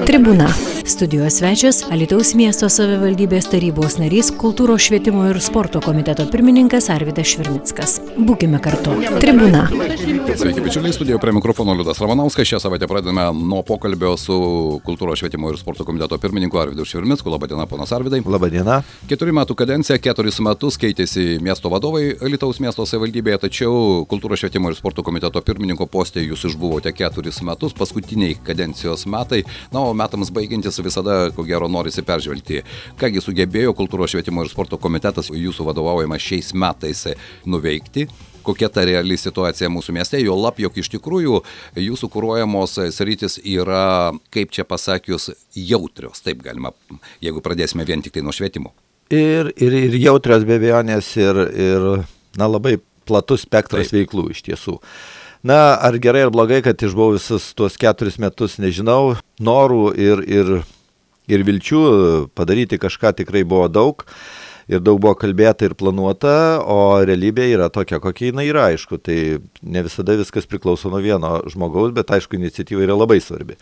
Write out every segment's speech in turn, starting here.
Tribūna. Studijos svečias Alytaus miesto savivaldybės tarybos narys, kultūros, švietimo ir sporto komiteto pirmininkas Arvydas Švirnickas. Būkime kartu. Tribūna. Sveiki, bičiuliai, studijoje prie mikrofono Liudas Ramanauskas. Šią savaitę pradedame nuo pokalbio su kultūros, švietimo ir sporto komiteto pirmininku Arvydu Švirnicku. Labadiena, ponas Arvydai. Labadiena. 4 metų kadencija, 4 metus keitėsi miesto vadovai Alytaus miesto savivaldybėje, tačiau kultūros, švietimo ir sporto komiteto pirmininko poste jūs išbuvote 4 metus, paskutiniai kadencijos metai. Na, o metams baigiantis visada, ko gero, norisi peržvelgti. Kągi sugebėjo kultūros, švietimo ir sporto komitetas jūsų vadovaujama šiais metais nuveikti? Kokia ta reali situacija mūsų mieste, jo lab, jog iš tikrųjų jūsų kuruojamos sritis yra, kaip čia pasakius, jautrios, taip galima, jeigu pradėsime vien tik tai nuo švietimo. Ir jautrios be abejonės ir labai platus spektras veiklų iš tiesų. Na, ar gerai ar blogai, kad išbuvau visus tuos 4 metus, nežinau, norų ir vilčių padaryti kažką tikrai buvo daug. Ir daug buvo kalbėta ir planuota, o realybė yra tokia, kokia jinai yra, aišku. Tai ne visada viskas priklauso nuo vieno žmogaus, bet aišku, iniciatyva yra labai svarbi.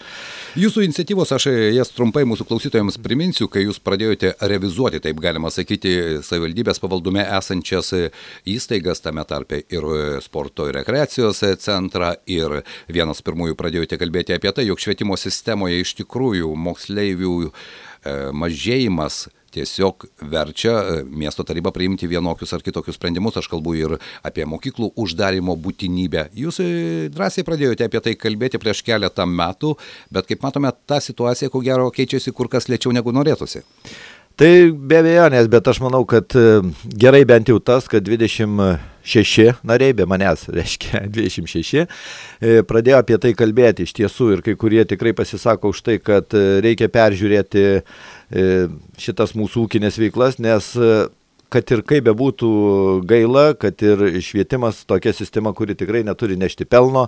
Jūsų iniciatyvos, aš jas trumpai mūsų klausytojams priminsiu, kai jūs pradėjote revizuoti, taip galima sakyti, savivaldybės pavaldume esančias įstaigas, tame tarpe ir sporto ir rekreacijos centrą, ir vienas pirmųjų pradėjote kalbėti apie tai, jog švietimo sistemoje iš tikrųjų moksleivių mažėjimas tiesiog verčia miesto tarybą priimti vienokius ar kitokius sprendimus. Aš kalbu ir apie mokyklų uždarimo būtinybę. Jūs drąsiai pradėjote apie tai kalbėti prieš keletą metų, bet kaip matome, ta situacija, ko gero, keičiasi kur kas lėčiau negu norėtųsi. Tai be abejonės, bet aš manau, kad gerai bent jau tas, kad 26 nariai, be manęs reiškia 26, pradėjo apie tai kalbėti iš tiesų ir kai kurie tikrai pasisako už tai, kad reikia peržiūrėti šitas mūsų ūkinės veiklas, nes kad ir kaip bebūtų gaila, kad ir švietimas tokia sistema, kuri tikrai neturi nešti pelno,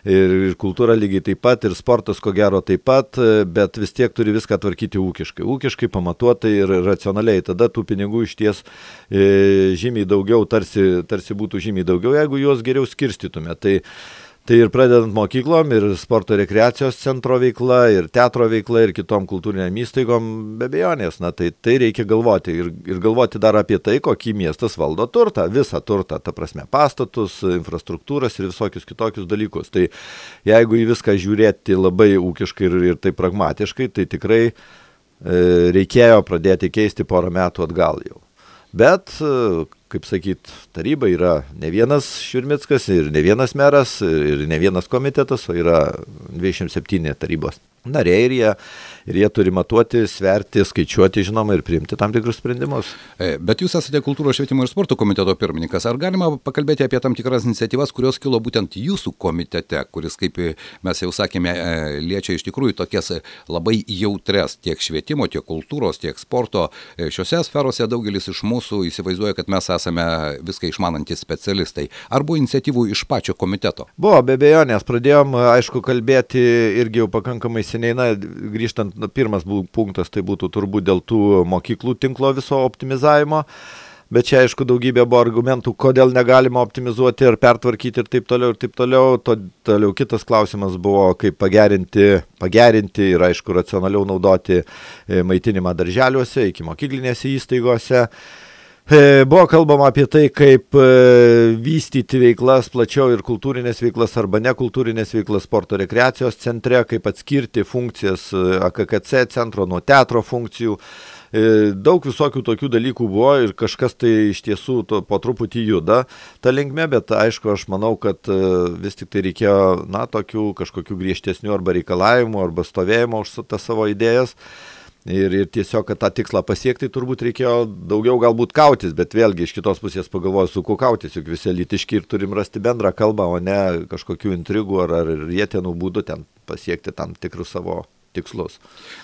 ir kultūra lygiai taip pat, ir sportas ko gero taip pat, bet vis tiek turi viską tvarkyti ūkiškai pamatuotai ir racionaliai. Tada tų pinigų iš ties žymiai daugiau, tarsi būtų žymiai daugiau, jeigu juos geriau skirstytume. Tai ir pradedant mokyklom, ir sporto rekreacijos centro veikla, ir teatro veikla, ir kitom kultūriniam įstaigom, be abejonės, tai reikia galvoti. Ir galvoti dar apie tai, kokį miestas valdo turtą, visą turtą, ta prasme pastatus, infrastruktūras ir visokius kitokius dalykus. Tai jeigu į viską žiūrėti labai ūkiškai ir taip pragmatiškai, tai tikrai reikėjo pradėti keisti porą metų atgal jau. Bet, kaip sakyt, taryba yra ne vienas Švirnickas ir ne vienas meras ir ne vienas komitetas, o yra 27 tarybos nariai ir jie turi matuoti, sverti, skaičiuoti, žinoma, ir priimti tam tikrus sprendimus. Bet jūs esate kultūros, švietimo ir sporto komiteto pirmininkas. Ar galima pakalbėti apie tam tikras iniciatyvas, kurios kilo būtent jūsų komitete, kuris, kaip mes jau sakėme, liečia iš tikrųjų tokias labai jautres tiek švietimo, tiek kultūros, tiek sporto. Šiose sferose daugelis iš mūsų įsivaizduoja, kad mes esame viską išmanantys specialistai. Ar buvo iniciatyvų iš pačio komiteto? Buvo, be abejonės. Pradėjom, aišku, kalbėti irgi jau pakankamai seniai. Na, grįžtant, pirmas punktas tai būtų turbūt dėl tų mokyklų tinklo viso optimizavimo. Bet čia, aišku, daugybė buvo argumentų, kodėl negalima optimizuoti ir pertvarkyti ir taip toliau, ir taip toliau. Toliau kitas klausimas buvo, kaip pagerinti ir, aišku, racionaliau naudoti maitinimą darželiuose, iki mokyklinėse įstaigose. Buvo kalbama apie tai, kaip vystyti veiklas plačiau ir kultūrinės veiklas arba nekultūrinės veiklas sporto rekreacijos centre, kaip atskirti funkcijas AKKC centro nuo teatro funkcijų. Daug visokių tokių dalykų buvo ir kažkas tai iš tiesų po truputį juda ta linkme, bet aišku, aš manau, kad vis tik tai reikėjo, tokių kažkokių griežtesnių arba reikalavimų arba stovėjimo už tas savo idėjas. Ir tiesiog, kad tą tikslą pasiekti, turbūt reikėjo daugiau galbūt kautis, bet vėlgi iš kitos pusės pagalvoju, su kuo kautis, juk visi lytiški ir turim rasti bendrą kalbą, o ne kažkokių intrigų ar rietenų būdų ten pasiekti tam tikrus savo tikslus.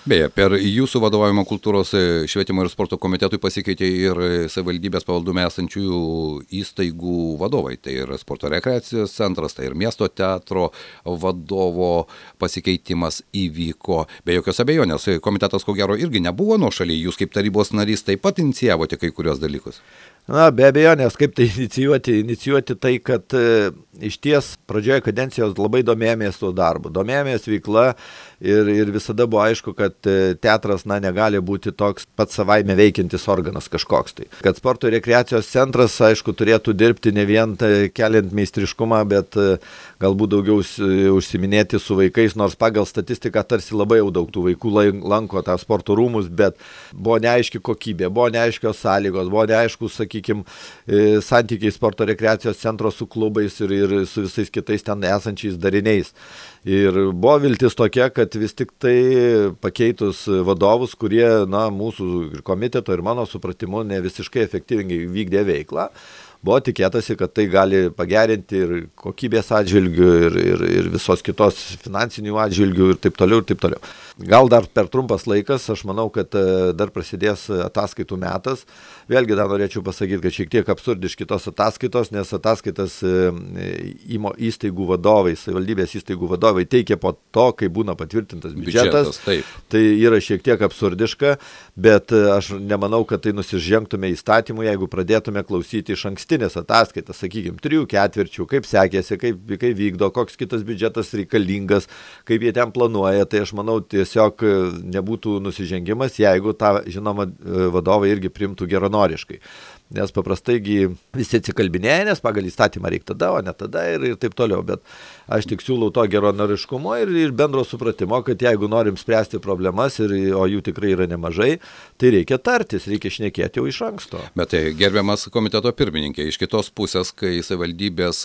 Beje, per jūsų vadovavimo kultūros, švietimo ir sporto komitetui pasikeitė ir savivaldybės pavaldume esančių įstaigų vadovai. Tai ir sporto rekreacijos centras, tai ir miesto teatro vadovo pasikeitimas įvyko. Be jokios abejonės, komitetas ko gero irgi nebuvo nuošaly, jūs kaip tarybos narys taip pat inicijavote kai kurios dalykus. Na, be abejo, nes kaip tai inicijuoti tai, kad iš ties pradžioje kadencijos labai domėjomės tuo darbu, domėjomės veikla ir visada buvo aišku, kad teatras negali būti toks pats savaime veikiantis organas kažkoks tai. Kad sporto ir rekreacijos centras, aišku, turėtų dirbti ne vien keliant meistriškumą, bet galbūt daugiau užsiminėti su vaikais, nors pagal statistiką tarsi labai jau daug tų vaikų lanko tą sporto rūmus, bet buvo neaiški kokybė, buvo neaiškios sąlygos, buvo neaiškus, sakykime, santykiai sporto rekreacijos centro su klubais ir su visais kitais ten esančiais dariniais. Ir buvo viltis tokia, kad vis tik tai pakeitus vadovus, kurie, mūsų komiteto ir mano supratimu ne visiškai efektyviai vykdė veiklą, buvo tikėtasi, kad tai gali pagerinti ir kokybės atžvilgių, ir visos kitos finansinių atžvilgių ir taip toliau, ir taip toliau. Gal dar per trumpas laikas, aš manau, kad dar prasidės ataskaitų metas. Vėlgi dar norėčiau pasakyti, kad šiek tiek absurdiški tos ataskaitos, nes ataskaitas įstaigų vadovai, savivaldybės įstaigų vadovai teikia po to, kai būna patvirtintas biudžetas. Tai yra šiek tiek absurdiška, bet aš nemanau, kad tai nusižengtume įstatymų, jeigu pradėtume klausyti iš ankstinės ataskaitas, sakykime, 3 ketvirčių, kaip sekėsi, kaip vykdo, koks kitas biudžetas reikalingas, kaip jie ten planuoja. Tai aš manau, tiesiog nebūtų nusižengimas, jeigu tą, žinoma, vadovai irgi priimtų geranoriškai. Nes paprastai visi atsikalbinėja, nes pagal įstatymą reikia tada, o ne tada ir taip toliau. Bet aš tik siūlau to geranoriškumo ir bendro supratimo, kad jeigu norim spręsti problemas, o jų tikrai yra nemažai, tai reikia tartis, reikia šnekėti jau iš anksto. Bet tai gerbiamas komiteto pirmininkė, iš kitos pusės, kai savivaldybės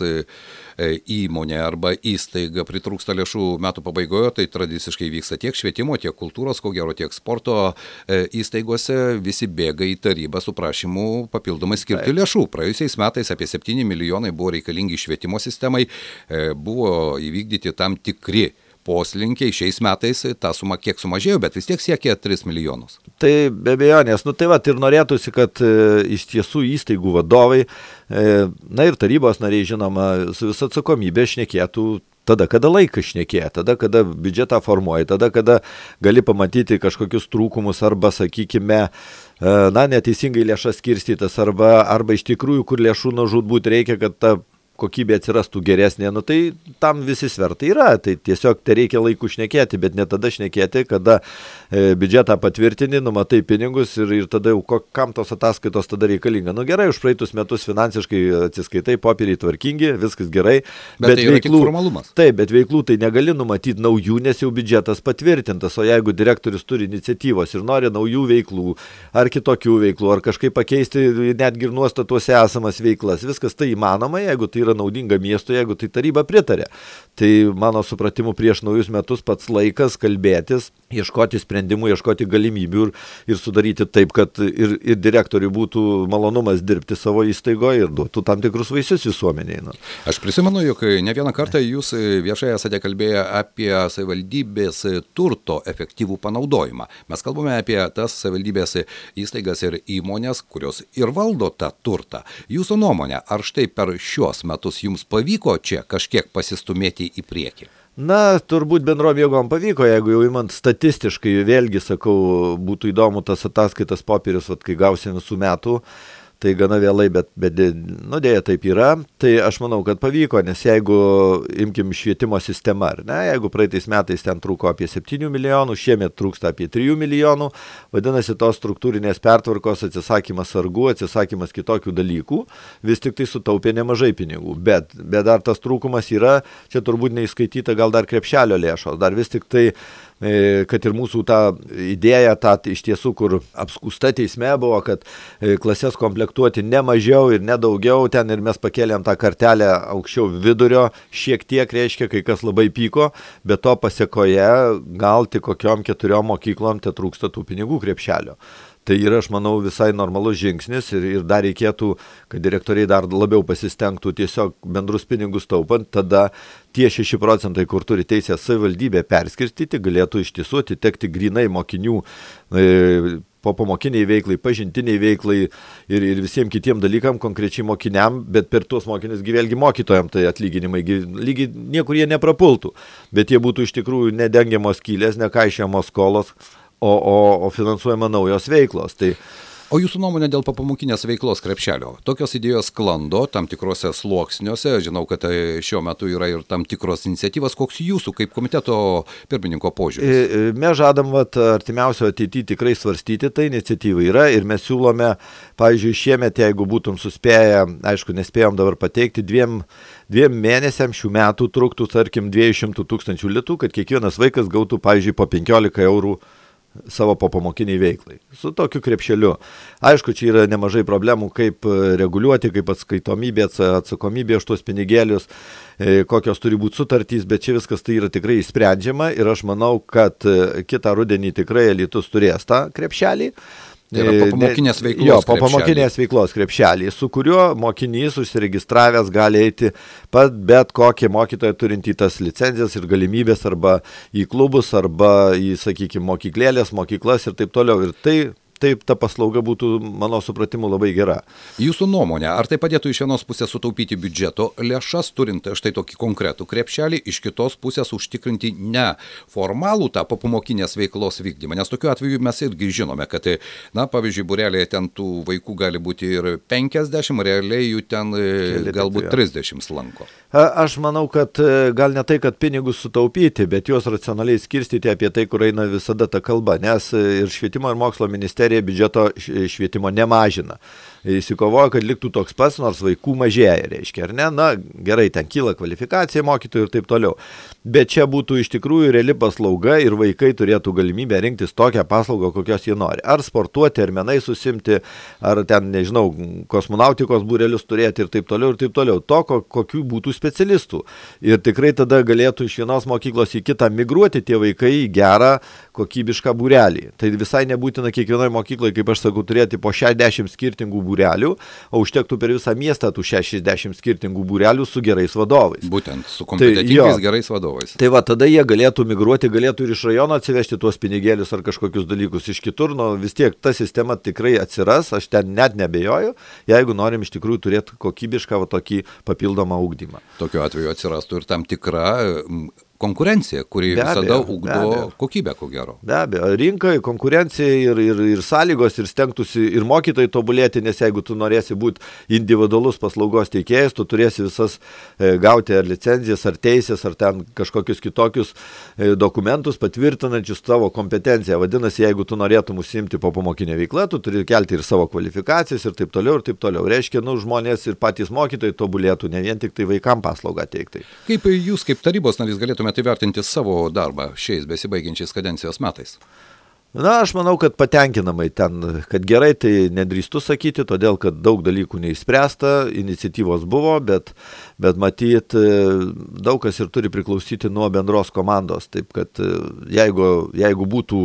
įmonė arba įstaiga pritrūksta lėšų metų pabaigoje, tai tradiciškai vyksta tiek švietimo, tiek kultūros, ko gero, tiek sporto įstaigose, visi bėga į tarybą su prašymu papildomai skirti lėšų. Praėjusiais metais apie 7 milijonai buvo reikalingi švietimo sistemai, buvo įvykdyti tam tikri poslinkiai. Šiais metais ta suma kiek sumažėjo, bet vis tiek siekia 3 milijonus. Tai be abejonės, ir norėtųsi, kad iš tiesų įstaigų vadovai, ir tarybos nariai, žinoma, su visa atsakomybė šnekėtų tada, kada laikas šnekėja, tada, kada biudžetą formuoja, tada, kada gali pamatyti kažkokius trūkumus arba, sakykime, neteisingai lėšas skirstytas arba iš tikrųjų, kur lėšų žūtbūt reikia, kad ta kokybė atsirastų geresnė, tai tam visi svertai yra, tai tiesiog tai reikia laiku šnekėti, bet ne tada šnekėti, kada biudžetą patvirtini, numatai pinigus ir tada jau kam tos ataskaitos tada reikalinga. Gerai, už praeitus metus finansiškai atsiskaitai, popieriai tvarkingi, viskas gerai. Bet tai yra tik formalumas. Taip, bet veiklų tai negali numatyti naujų, nes jau biudžetas patvirtintas, o jeigu direktorius turi iniciatyvos ir nori naujų veiklų, ar kitokių veiklų, ar kažkaip pakeisti netgi ir nuostatuose esamas veiklas, viskas tai įmanoma, jeigu tai yra naudinga miestui, jeigu tai taryba pritarė. Tai mano supratimu prieš naujus metus pats laikas kalbėtis, ieškoti sprendimų, ieškoti galimybių ir sudaryti taip, kad ir direktoriui būtų malonumas dirbti savo įstaigoje ir duotų tam tikrus vaisius visuomeniai. Aš prisimenu, jog ne vieną kartą jūs viešai esate kalbėję apie savivaldybės turto efektyvų panaudojimą. Mes kalbame apie tas savivaldybės įstaigas ir įmonės, kurios ir valdo tą turtą. Jūsų nuomonė, ar štai per šios metus jums pavyko čia kažkiek pasistumėti į priekį? Turbūt bendrom jėgom pavyko, jeigu jau imant statistiškai, vėlgi sakau, būtų įdomu tas ataskaitas popierius, kai gausim visų metų, tai gana vėlai, bet dėja taip yra. Tai aš manau, kad pavyko, nes jeigu imkim švietimo sistemą, jeigu praeitais metais ten trūko apie 7 milijonų, šiemet trūksta apie 3 milijonų, vadinasi, tos struktūrinės pertvarkos atsisakymas sargų, atsisakymas kitokių dalykų, vis tik tai sutaupė nemažai pinigų. Bet dar tas trūkumas yra, čia turbūt neįskaityta gal dar krepšelio lėšos, dar vis tik tai kad ir mūsų ta idėja, iš tiesų, kur apskūsta teisme buvo, kad klases komplektuoti ne mažiau ir ne daugiau, ten ir mes pakėlėm tą kartelę aukščiau vidurio, šiek tiek reiškia, kai kas labai pyko, bet to pasiekoje gal tik kokiom 4 mokyklom te trūksta tų pinigų krepšelio. Tai yra, aš manau, visai normalus žingsnis ir dar reikėtų, kad direktoriai dar labiau pasistengtų tiesiog bendrus pinigus taupant, tada tie 6 procentai, kur turi teisę savivaldybė perskirstyti, galėtų iš tiesų atitekti grinai mokinių popamokiniai veiklai, pažintiniai veiklai ir visiems kitiem dalykam, konkrečiai mokiniam, bet per tuos mokinius vėlgi mokytojams tai atlyginimai lygiai niekur jie neprapultų, bet jie būtų iš tikrųjų nedengiamos skylės, nekaišiamos skolos, o finansuojama naujos veiklos. Tai O jūsų nuomonė dėl popamokinės veiklos krepšelio? Tokios idėjos sklando tam tikrose sluoksniuose. Žinau, kad šiuo metu yra ir tam tikros iniciatyvas. Koks jūsų kaip komiteto pirmininko požiūris? Mes žadam artimiausio ateityje tikrai svarstyti, tai iniciatyva yra ir mes siūlome, pavyzdžiui, šiemet, jeigu būtum suspėję, aišku, nespėjom dabar pateikti, dviem mėnesiam šių metų truktų, tarkim, 200 000 litų, kad kiekvienas vaikas gautų, pavyzdžiui, po 15 eurų savo popamokiniai veiklai. Su tokiu krepšeliu. Aišku, čia yra nemažai problemų, kaip reguliuoti, kaip atskaitomybė, atsakomybė už tuos pinigėlius, kokios turi būti sutartys, bet čia viskas tai yra tikrai išsprendžiama ir aš manau, kad kitą rudenį tikrai Alytus turės tą krepšelį. Tai yra popamokinės veiklos krepšelį. Popamokinės veiklos krepšelį, su kuriuo mokinys užsiregistravęs gali eiti bet kokį mokytoją turintį tas licenzijas ir galimybės arba į klubus, arba į, sakykime, mokyklas ir taip toliau. Ir taip ta paslauga būtų, mano supratimu, labai gera. Jūsų nuomonė, ar tai padėtų iš vienos pusės sutaupyti biudžeto lėšas, turint štai tokį konkretų krepšelį, iš kitos pusės užtikrinti ne formalų tą popamokinės veiklos vykdymą? Nes tokiu atveju mes irgi žinome, kad, pavyzdžiui, būrelėje ten tų vaikų gali būti ir 50, realiai jų ten galbūt 30 lanko. Aš manau, kad gal ne tai, kad pinigus sutaupyti, bet juos racionaliai skirstyti apie tai, kur eina visada ta kalba, nes ir švietimo ir mokslo ministerija biudžeto švietimo nemažina. Įsikovojo, kad liktų toks pats, nors vaikų mažėja, reiškia, ar ne? Na, gerai, ten kyla kvalifikacija mokytojų ir taip toliau. Bet čia būtų iš tikrųjų reali paslauga ir vaikai turėtų galimybę rinktis tokią paslaugą, kokios jie nori. Ar sportuoti, ar menai susimti, ar ten, nežinau, kosmonautikos būrelius turėti ir taip toliau, ir taip toliau. To, kokių būtų specialistų. Ir tikrai tada galėtų iš vienos mokyklos į kitą migruoti tie vaikai į gerą, kokybišką būrelį. Tai visai nebūtina kiekvienoje mokykloje, kaip aš sakau, turėti po 60 skirtingų būrelių, o užtektų per visą miestą tų 60 skirtingų būrelių su gerais vadovais. Būtent, su kompetentingais gerais vadovais. Tai va, tada jie galėtų migruoti, galėtų ir iš rajono atsivežti tuos pinigėlius ar kažkokius dalykus iš kitur, vis tiek ta sistema tikrai atsiras, aš ten net nebejoju, jeigu norim iš tikrųjų turėti kokybišką tokį papildomą ugdymą. Tokiu atveju atsirastų ir tam tikra konkurencija, kuri visada ugdo kokybę, ko gero. Be abejo, rinkai, konkurencija ir sąlygos ir stengtųsi ir mokytojai tobulėti, nes jeigu tu norėsi būti individualus paslaugos teikėjas, tu turėsi visas gauti ar licenzijas, ar teisės, ar ten kažkokius kitokius dokumentus patvirtinančius tavo kompetenciją. Vadinasi, jeigu tu norėtum užsiimti popamokinę veiklą, tu turi kelti ir savo kvalifikacijas ir taip toliau, ir taip toliau. Reiškia, žmonės ir patys mokytojai tobulėtų, ne vien tik tai vaikam paslaugą teikti. Kaip jūs, kaip tarybos narys, galėtumėte įvertinti savo darbą šiais besibaigiančiais kadencijos metais? Na, aš manau, kad patenkinamai ten, kad gerai, tai nedrįstu sakyti, todėl, kad daug dalykų neįspręsta, iniciatyvos buvo, bet matyt, daug kas ir turi priklausyti nuo bendros komandos, taip kad jeigu būtų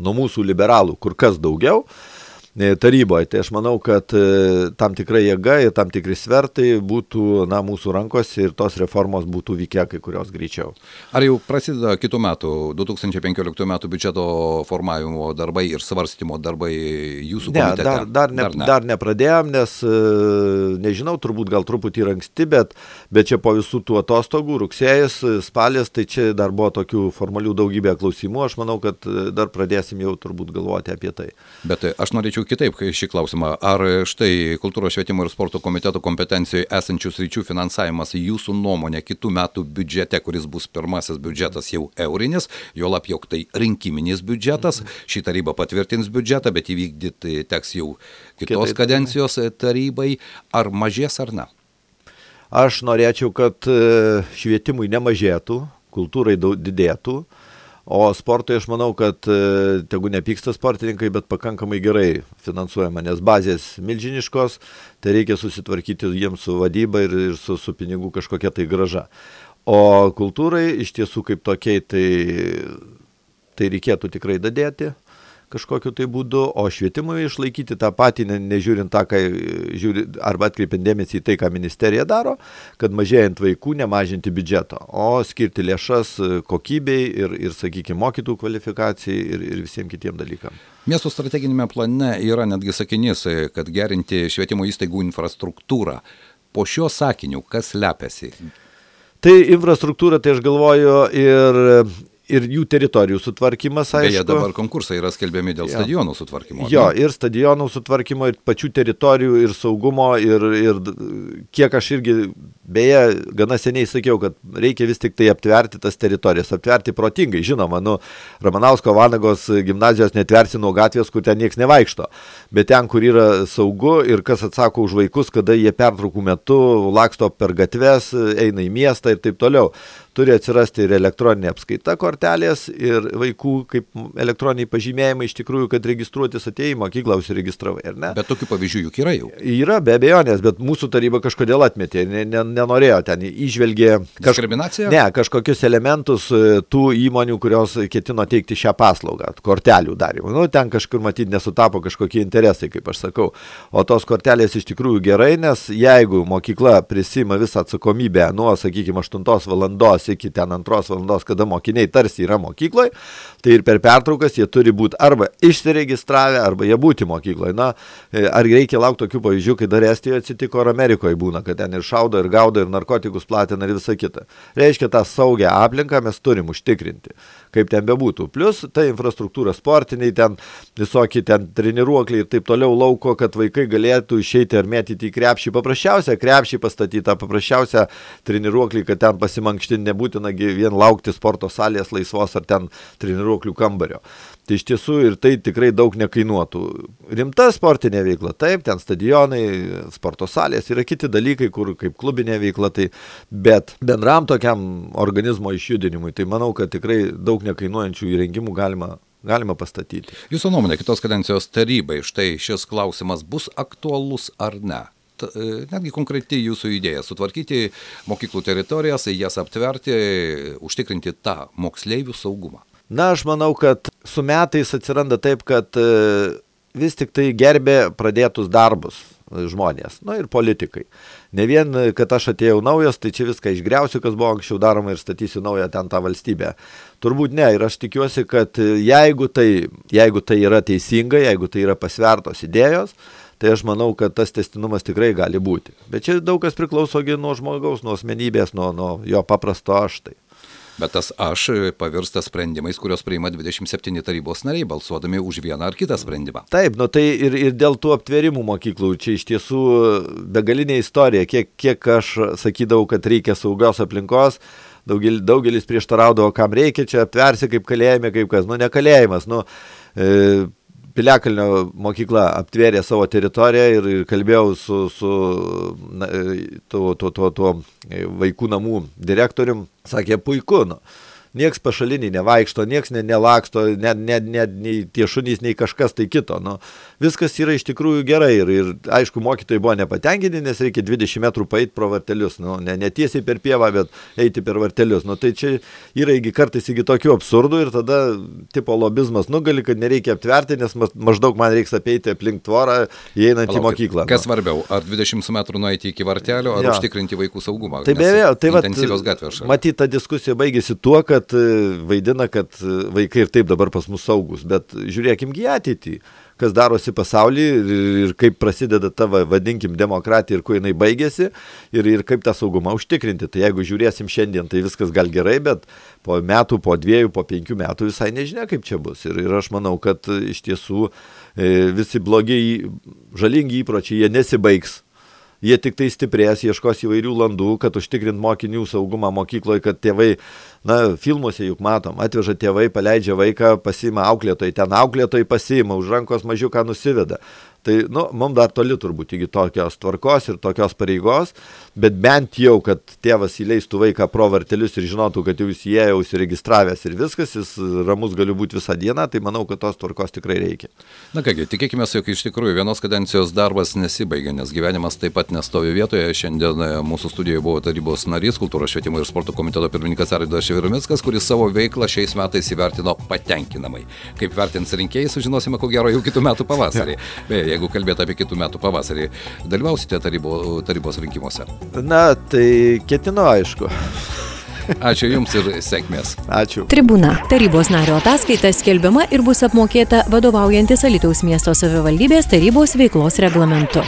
nuo mūsų liberalų kur kas daugiau taryboje, tai aš manau, kad tam tikra jėga ir tam tikri svertai būtų mūsų rankose ir tos reformos būtų vykę kai kurios greičiau. Ar jau prasideda kitų metų, 2015 metų biudžeto formavimo darbai ir svarstymo darbai jūsų komitete? Dar nepradėjom, nes nežinau, turbūt gal truputį ir anksti, bet čia po visų tų atostogų, rugsėjas, spalis, tai čia dar buvo tokių formalių daugybė klausimų, aš manau, kad dar pradėsim jau turbūt galvoti apie tai. Bet aš norėčiau kitaip šį klausimą. Ar štai Kultūros švietimo ir sporto komiteto kompetencijoje esančių sričių finansavimas jūsų nuomonė kitų metų biudžete, kuris bus pirmasis biudžetas jau eurinis, juolab jog tai rinkiminis biudžetas, ši taryba patvirtins biudžetą, bet įvykdyti teks jau kitos kadencijos tarybai, ar mažės ar ne? Aš norėčiau, kad švietimui nemažėtų, kultūrai didėtų. O sportui aš manau, kad tegu nepyksta sportininkai, bet pakankamai gerai finansuojama, nes bazės milžiniškos, tai reikia susitvarkyti jiems su vadyba ir su pinigų kažkokia tai grąža. O kultūrai iš tiesų kaip tokiai tai reikėtų tikrai dadėti kažkokiu tai būdu, o švietimui išlaikyti tą patį, nežiūrint tą, arba atkreipiant dėmesį į tai, ką ministerija daro, kad mažėjant vaikų nemažinti biudžeto, o skirti lėšas kokybei ir sakykime, mokytojų kvalifikacijai ir visiems kitiem dalykam. Miesto strateginėme plane yra netgi sakinys, kad gerinti švietimo įstaigų infrastruktūrą. Po šio sakiniu, kas slepiasi? Tai infrastruktūra, tai aš galvoju, ir jų teritorijų sutvarkymas, aišku. Beje, dabar konkursai yra skelbiami dėl stadionų sutvarkymo. Jo, ir stadionų sutvarkymo, ir pačių teritorijų, ir saugumo, ir kiek aš irgi, beje, gana seniai sakiau, kad reikia vis tik tai aptverti tas teritorijas, aptverti protingai. Žinoma, Ramanausko Vanagos gimnazijos netversi nuo gatvės, kur ten nieks nevaikšto, bet ten, kur yra saugu ir kas atsako už vaikus, kada jie pertraukų metu laksto per gatves, eina į miestą ir taip toliau. Turi atsirasti ir elektroninė apskaita kortelės ir vaikų kaip elektroniniai pažymėjimai iš tikrųjų, kad registruotis atėjai į mokyklą užsiregistravai, ar ne? Bet tokių pavyzdžių juk yra jau. Yra, be abejonės, bet mūsų taryba kažkodėl atmetė, nenorėjo ten, įžvelgė diskriminaciją? Ne, kažkokius elementus tų įmonių, kurios ketino teikti šią paslaugą, kortelių darimą. Ten kažkur matyti nesutapo kažkokie interesai, kaip aš sakau. O tos kortelės iš tikrųjų gerai, nes jeigu mokykla prisima visą atsakomybę nuo, sakykime, 8 valandos iki ten 2 valandos, kada mokiniai tarsi yra mokykloje, tai ir per pertraukas jie turi būti arba išsiregistravę, arba jie būti mokykloje. Ar reikia laukti tokių pavyzdžių, kai dar Estijoje atsitiko, ar Amerikoje būna, kad ten ir šaudo, ir gaudo, ir narkotikus platina, ir visa kita. Reiškia, tą saugią aplinką mes turim užtikrinti, kaip ten bebūtų. Plus, ta infrastruktūra sportiniai, ten visokie ten treniruokliai ir taip toliau lauko, kad vaikai galėtų išeiti ar mėtyti į krepšį. Paprasčiausia krepšį pastatytą, paprasčiausia treniruoklį, kad ten pasimankštinti nebūtina vien laukti sporto salės laisvos ar ten treniruoklių kambario. Tai iš tiesų ir tai tikrai daug nekainuotų. Rimta sportinė veikla, taip, ten stadionai, sporto salės, yra kiti dalykai, kur kaip klubinė veikla, tai, bet bendram tokiam organizmo išjudinimui, tai manau, kad tikrai daug nekainuojančių įrengimų galima pastatyti. Jūsų nuomonė, kitos kadencijos tarybai, štai šis klausimas bus aktualus ar ne? Netgi konkretiai jūsų idėja sutvarkyti mokyklų teritorijas, jas aptverti, užtikrinti tą moksleivių saugumą. Na, aš manau, kad su metais atsiranda taip, kad vis tik tai gerbė pradėtus darbus žmonės, ir politikai. Ne vien, kad aš atėjau naujas, tai čia viską išgriausiu, kas buvo anksčiau daroma ir statysiu naują ten tą valstybę. Turbūt ne, ir aš tikiuosi, kad jeigu tai yra teisinga, jeigu tai yra pasvertos idėjos, tai aš manau, kad tas tęstinumas tikrai gali būti. Bet čia daug kas priklauso nuo žmogaus, nuo asmenybės, nuo jo paprasto aš tai. Bet tas aš pavirsta sprendimais, kurios priima 27 tarybos nariai, balsuodami už vieną ar kitą sprendimą. Taip, tai ir dėl tų aptverimų mokyklų, čia iš tiesų begalinė istorija, kiek aš sakydavau, kad reikia saugios aplinkos, daugelis prieštaraudavo, kam reikia, čia aptversi kaip kalėjime, kaip kas, ne kalėjimas, Piliakalnio mokykla aptvėrė savo teritoriją ir kalbėjau su tuo vaikų namų direktorium, sakė, puiku, nieks pašaliniai nevaikšto, nieks nelaksto, nei tie šunys, nei kažkas tai kito. Viskas yra iš tikrųjų gerai ir aišku, mokytojai buvo nepatenkinti, nes reikia 20 metrų paeiti pro vartelius. Ne tiesiai per pievą, bet eiti per vartelius. Tai čia yra kartais tokių absurdų ir tada tipo lobizmas nugali, kad nereikia aptverti, nes maždaug man reiks apeiti aplink tvorą, įeinant į mokyklą. Kas svarbiau, ar 20 metrų nueiti iki vartelio, ar užtikrinti vaikų saugumą? Tai be abejo, tai intensyvios gatvės šalia. Matyt, ta diskusija baigėsi tuo, kad vaidina, kad vaikai ir taip dabar pas mus saugus, bet žiūrėkim į ateitį, kas darosi pasaulyje ir kaip prasideda ta, vadinkim, demokratija ir kuo jinai baigėsi ir kaip tą saugumą užtikrinti. Tai jeigu žiūrėsim šiandien, tai viskas gal gerai, bet po metų, po 2, po 5 metų visai nežinia, kaip čia bus. Ir aš manau, kad iš tiesų visi blogiai, žalingi įpročiai, jie nesibaigs. Jie tik tai stiprės, ieškos įvairių landų, kad užtikrint mokinių saugumą mokykloje, kad tėvai, filmuose juk matom, atveža tėvai, paleidžia vaiką, pasiima auklėtojai, ten auklėtojai pasiima, už rankos mažiuką nusiveda. Tai, mums dar toli turbūt iki tokios tvarkos ir tokios pareigos, bet bent jau, kad tėvas įleistų vaiką pro vartelius ir žinotų, kad jau jis įėjo, užsiregistravęs ir viskas, jis ramus gali būti visą dieną, tai manau, kad tos tvarkos tikrai reikia. Na kągi, tikėkime, jog iš tikrųjų vienos kadencijos darbas nesibaigia, nes gyvenimas taip pat nestovi vietoje. Šiandien mūsų studijoje buvo tarybos narys, kultūros švietimo ir sporto komiteto pirmininkas Arvydas Švirmickas, kuris savo veiklą šiais metais įvertino patenkinamai. Kaip vertins rinkėjai, sužinosime ko gero jau kitų metų pavasarį. Jeigu kalbėtų apie kitų metų pavasarį, dalyvausite tarybos rinkimuose? Na, tai ketinu, aišku. Ačiū Jums ir sėkmės. Ačiū. Tribūna. Tarybos nario ataskaita skelbiama ir bus apmokėta vadovaujantis Alytaus miesto savivaldybės tarybos veiklos reglamentu.